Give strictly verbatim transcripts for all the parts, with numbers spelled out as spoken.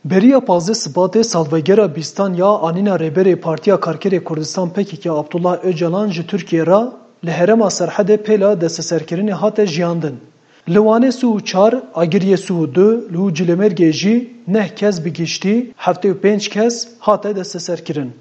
Beriya pazdeh Sibatê salvegera bîstan ya anîna Rêberê Partiya Karkerê Kurdistan P K K Abdullah Ocalan ji Tirkiyê re li herêma Serhedê pêla desteserkirinê hate jiyandin. Li Wanê sih û çar, Agiriyê sih û du û Cilêmêrgê jî neh kes bi giştî, heftê û pênc kes hate desteserkirin.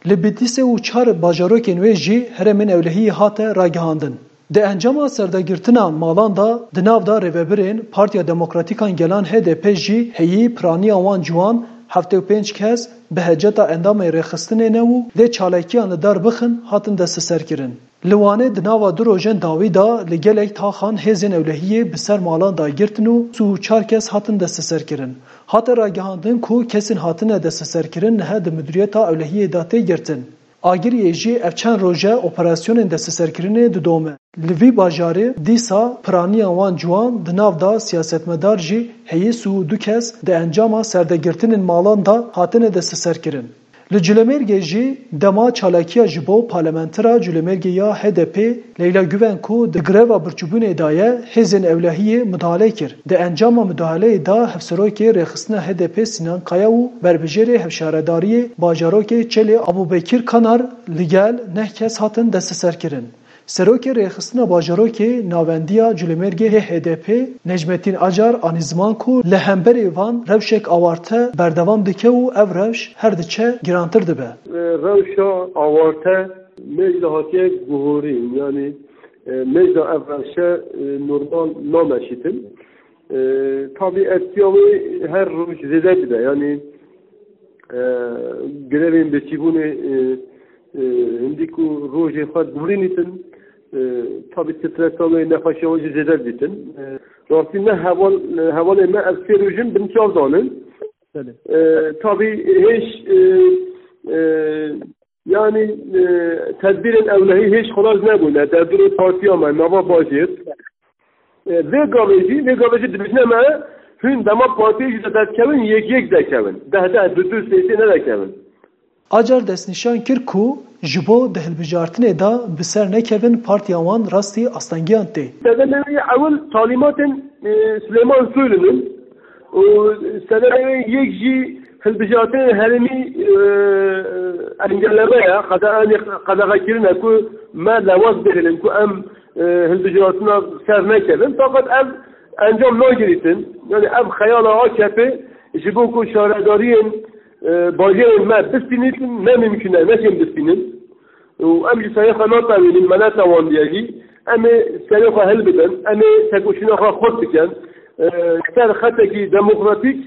Li Bitlîsê û çar bajarokên wê jî herêmên ewlehiyê hate ragihandin. Di encama serdegirtina malan de di nav de rêvebirên Partiya Demokratîk a Gelan H D P jî heyî piraniya wan ciwan heftê û pênc kes bi heceta endamên rêxistinê ne û dê çalakiyan li dar bixin hatin desteserkirin. Li Wanê di nava du rojên dawî de li gelek taxan hêzên ewlehiyê bi ser malan dagirtin û sih û çar kes hatin desteserkirin. Hate ragihandin ku kesên hatine desteserkirin niha di Midûriyeta Ewlehiyê de tê girtin. Agiriyê jî ev çend roj e operasyonên desteserkirinê didome. Li vî bajarê dîsa piraniya wan ciwan di nav de siyasetmedar jî heyî sih û du kes di encama serdegirtinên malan de hatine desteserkirin. Li Cilêmêrgê jî dema çalakiya ji bo parlamentera Cilêmêrgê ya H D P Leyla Guven ku di greva birçîbûnê de ye, hêzên ewlehiyê mudahale kir. Di encama mudahaleyê de hevserokê rêxistina H D P Sinan Kaya û berbijêrê hevşaredariyê bajarokê Çelê Abûbekir Kanar li gel neh kes hatin desteserkirin. Serokê rêxistina bajarokê navendiya Culêmêrgê yê H D P Necmettin Acar anî ziman ku li hemberî van rewşek awarte berdewam dike û ev rewş her diçe girantir dibe. Rewşa awarte mêj de hatiye guhorîn, yanî, e, mêj de ev rewşe, e, normal nameşîtin. E, tabî etkiya wê her roj zêde dibe, yanî, e, grevên birçîbûnê, e, e, hindî ku rojê xwe dûrînîtin, e, tabî stresa wê, nexweşiya wê jî zêde dibîtin. E, rastî me heval, hevalê me ev sê roj in bin çav danin. Belê. E, tabî hêj, e, e, yanî, e, tedbîrên ewlehî hêj xelas nebûne. Derdorê partiya me, nava bajêr. E, vê gavê jî, vê gavê jî dibêjine me, hûn dema partiyê jî de derdikevin, yek yek dekevin. Deh deh, du du, sê sê nedekevin. Acar destnîşan kir ku ji bo di hilbijartinê de bi ser nekevin partiya wan rastî astengiyan tê. Sedemê wê ewil talîmatên, e, Silêman Soylu'nun û sedemê wê yek jî hilbijartinên herêmî, e, engelleme ye, qede-, qedexekirine ku me lewaz bihêlin ku em, e, hilbijartina ser nekevin. Fakat ev encam nagirîtin. Yani ev xeyala A K P ji bo ku şaredariyên, e, bajêrên me bistînîtin, ne mimkun e, neşên bistînin. Û em ji serê xwe natewînin, me netewandiye jî. Em ê serê xwe hilbidin, em ê tekoşîna xwe xurt bikin. E, ser xetekî demokratîk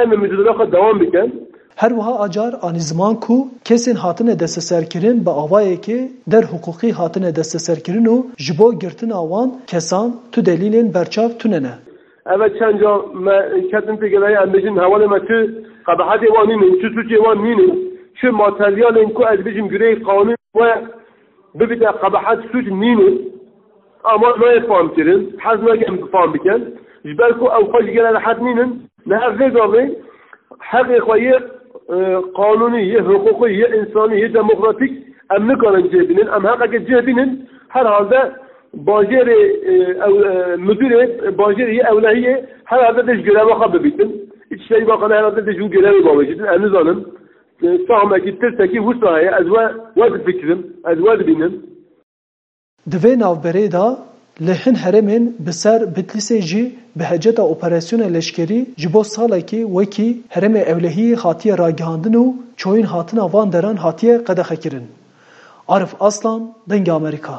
em ê micadela xwe dewam bikin. Her wiha Acar anî ziman ku kesên hatine desteserkirin bi awayekê der hiqûqî hatine desteserkirin û ji bo girtina wan kesan tu delîlên berçav tune ne. Ev e çend ca me ketin têgihê, em bêjin hevalê me tu qebehetê wan nînin, tu sûcê wan nînin, tu materyalên ku ez bêjim girêyî qanûn we bibîte qebehet, sûc nînin. Ama nayê fam kirin, hez nakin fam bikin. Ji ber ku ew xwe ji gele rehet nînin, niha vê gavê heqê xwe yê, e, qanûnî, yê hiqûqî, yê însanî, yê demokratîk em nikarin cih bînin. Em heqekê cih bînin, herhalde bajêrê, e, ew, e, müdürê bajêrê yê ewlehiyê herhalde dê ji göreva xwe bibîtin. Îçişlerî Bakanı herhalde dê ji wî görevê bavêjîtin. Em nizanin. E, sahmekî, tirsekî wisa heye. Ez we, we difikirim. Ez we dibînim. Di vê navberê de li hin herêmên bi ser Bitlîsê jî bi heceta operasyona leşkerî ji bo salekê wekî herêmê ewlehiyê hatiye ragihandin û çoyîn hatina van deran hatiye qedexekirin. Arif Aslan, Dengê Amerîka.